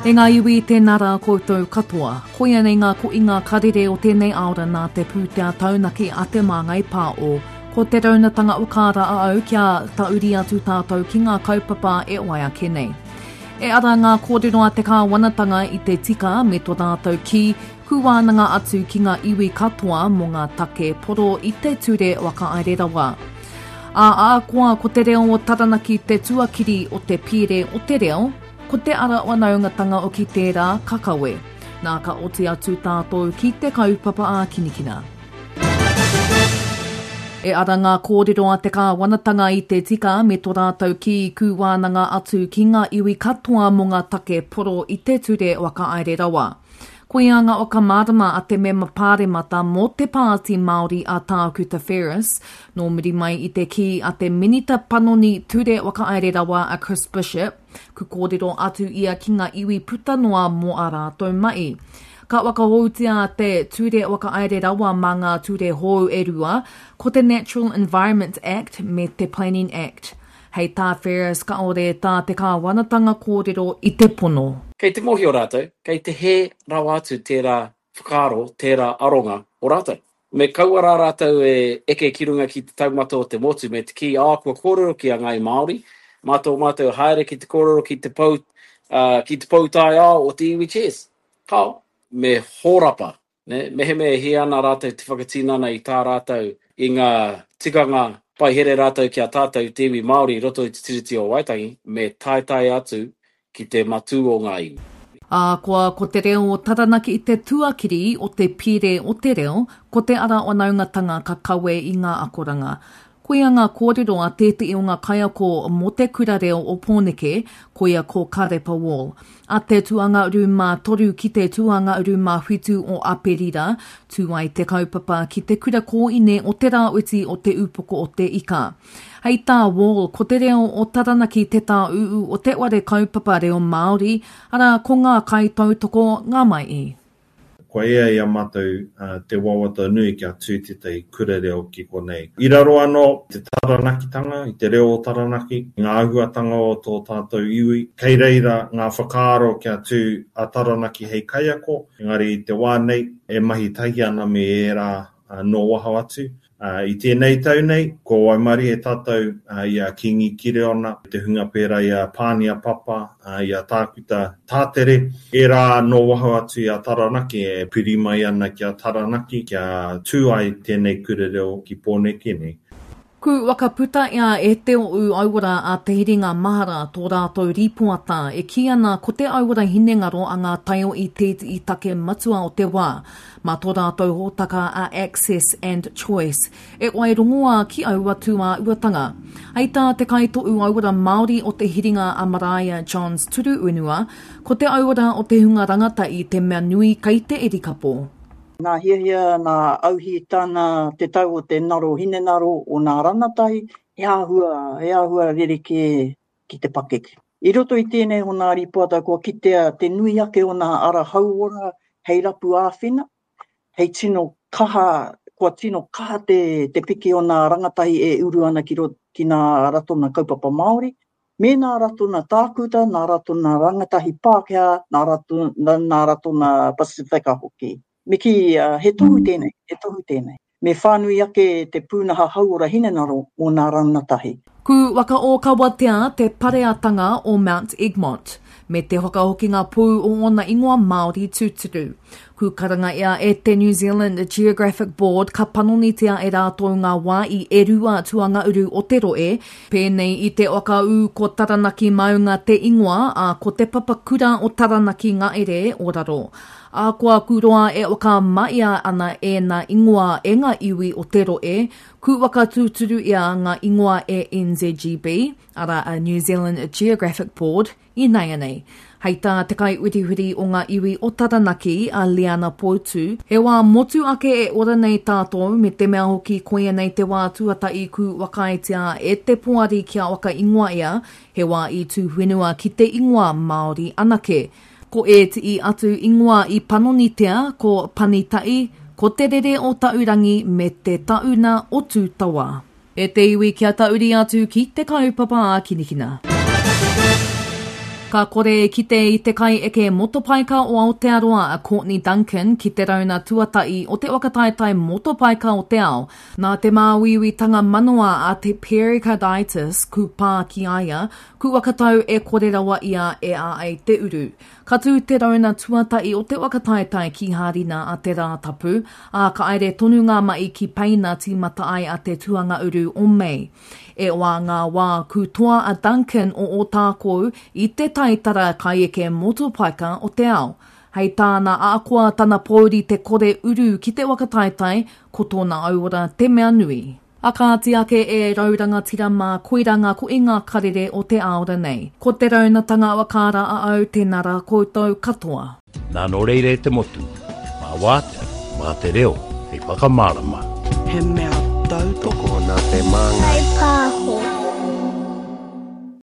E ngā iwi, tēnā rā koutou katoa. Koia nei ngā koinga karere o tēnei aora nā te pūtea taunaki a Te Māngai Pāo. Ko te raunatanga o kāra a au kia tauri atu tātou ki ngā kaupapa e wai ake nei. E ara ngā kōrero a te kāwanatanga i te tika me to rātou kī, ku wānanga atu ki ngā iwi katoa mō ngā take poro i te ture whakahaere rawa. Ā, ahakoa ko te reo o Taranaki te tuakiri o te pīre o te reo, ko te ara whanaungatanga oki tērā ka kawe. Nā ka oti atu tātou ki te kaupapa ākinikina. E ara ngā kōrero a te kāwanatanga i te tika me to rātou kī kūwānanga atu ki ngā iwi katoa mō ngā take poro i te ture whakahaere rawa. Koia ngā whakamārama a te mema pāremata mō te Pāti Māori a Tākuta Ferris, nō muri mai i te kī a te Minita Panoni Ture Whakahaere Rawa a Chris Bishop, ku kōrero atu ia ki ngā iwi puta noa mō ā rātou mahi. Ka whakahoutia te Ture Whakahaere Rawa mā ngā ture hou e rua, ko te Natural Environment Act me te Planning Act. Hei tā Ferris kāore tā te kāwanatanga kōrero i te pono. Kei te mōhio rātou, kei te hē rawa atu tērā whakaaro, tērā aronga o rātou. Me kaua rā rātou e eke ki runga ki te taumata o te motu me te kī, ā, kua kōrero ki a Ngāi Māori, mā tō mātou haere ki te kōrero ki te pou, ā, ki te pou taiao o te iwi Cheers. Kāo. Me hōrapa Nē, mehemea e hia ana rātou te whakatinana i tā rātou i ngā tikanga pai here rātou ki a tātou te iwi Māori i roto i te Tiriti o Waitangi, me taetae atu ki te matū o ngā iwi. Ahakoa ko te reo o Taranaki te tuakiri o te pire o te reo, ko te ara whanaungatanga ka kawe i ngā akoranga. Koia ngā kōrero a tētehi o ngā kaiako mō Te Kura Reo o Pōneke, koia ko Karepa Wall. A te tuanga rūma 3 ki te tuanga rūma 7 o Aperira, tū ai te kaupapa ki te kura kōine o Te Rāwhiti o Te Ūpoko o Te Ika. Hei tā Wall, ko te reo o Taranaki te tāūū o te whare kaupapa reo Māori, arā, ko ngā kaitautoko ngā mai. Kua ea i a mātou te wawata nui kia tū tētahi kura reo ki konei. I raro anō te Taranakitanga, i te reo o Taranaki, i ngā āhuatanga o tō tātou iwi. Kei reira ngā whakaaro kia tū a Taranaki hei kaiako, engari i te wā nei e mahi tahi ana me ērā nō waho atu. I tēnei tau nei, kua waimarie tātou i a Kīngi Kireona, te hunga pērā i a Pānia Papa, i a Tākuta Tātere, ērā nō waho atu i a Taranaki e piri mai ana ki a Taranaki kia tū ai tēnei kura reo ki Pōneke nei. Ku whakaputa ia e te o Auora a Te Hiringa Mahara tō rātou rīpoata e kī ana ko te auora hinengaro a ngā taiohi tētehi take matua o te wā. Mā tō rātou hōtaka a Access and Choice e whai rongoā ki aua tūāuatanga. Hei tā te kaitohu auora Māori o Te Hiringa a Maraea Johns Turuenua, ko te auora o te hunga rangatahi te mea nui kei te erikapo. Nā hiahia, nā auhītana te tau o te naro hinengaro o nā ranatahi, he āhua, he āhua rerekē ki te pakeke. I roto i tēnei o nā rīpoata kua kitea te nui ake o nā ara hauora hei rapu āwhina, hei tino kaha, kua tino kaha te, te piki o nā rangatahi e uru ana ki roto, ki nā ratonga kaupapa Māori, Me nā ratona tākuta, nā ratona rangatahi Pākehā, nā ratona, nā ratona Pasifika hoki. Me kī, he tohu tēnei, he tohu tēnei. Me whānui ake te pūnaha hauora hinengaro mō nā rangatahi. Ku whakaōkawatea te pareatanga o Mount Egmont, me te whakahokinga pū o ōna ingoa Māori tūturu. Ku karanga ia e te New Zealand Geographic Board ka panonitia e rātou ngā wā i e rua tuangauru o te rohe, pēnei i te whakaū ko Taranaki Maunga te ingoa, ā, ko te papakura o Taranaki Ngaere o raro. Ahakoa ku roa e whakamahia ana ēnā ingoa e ngā iwi o te rohe, ku whakatūturu ia ngā ingoa e NZGB, arā a New Zealand Geographic Board, Ināianei, hei tā te kaiwhiriwhiri o ngā iwi o Taranaki, a Liana Poutu, he wā motu ake e ora nei tātou me te mea hoki koia nei te wā tuatahi ku whakaaetia e te poari kia whakaingoa ia, he wā i tū whenua ki te ingoa Māori anake. Ko ētihi atu ingoa i panonitia ko Panita'i, ko Te Rere o Taurangi me Te Tauna o Tūtawa. E te iwi kia tahuri atu ki te kaupapa ākinikina. Ka kore e kite i te kaieke motopaika o Aotearoa a Courtney Duncan ki te rauna tuatahi o te whakataetae motopaika o te ao. Nā te māuiuitanga manoa a te pericarditis ku pā ki a ia, ku whakatau e kore rawa ia e āei te uru. Ka tū te rauna tuatahi o te whakataetae ki Hārina a te Rātapu, ā, ka aere tonu ngā mahi ki Peina tīmata ai a te tuanga-uru o Mei. E wā ngā wā ku toa a Duncan o Ōtākou i te taitara kaieke motopaika o te ao. Hei tāna ahakoa tana pōuri te kore uru ki te whakataetae, ko tōna auora te mea nui. A kāti ake e rau rangatira mā koira ngā koinga karere o te aora nei. Ko te raunatanga whakaara a au tēnā rā koutou katoa. Nā nō reira e te motu, mā wātea, mā te reo hei whakamārama. He mea tautoko. Tokona te māngai. Kaipāho.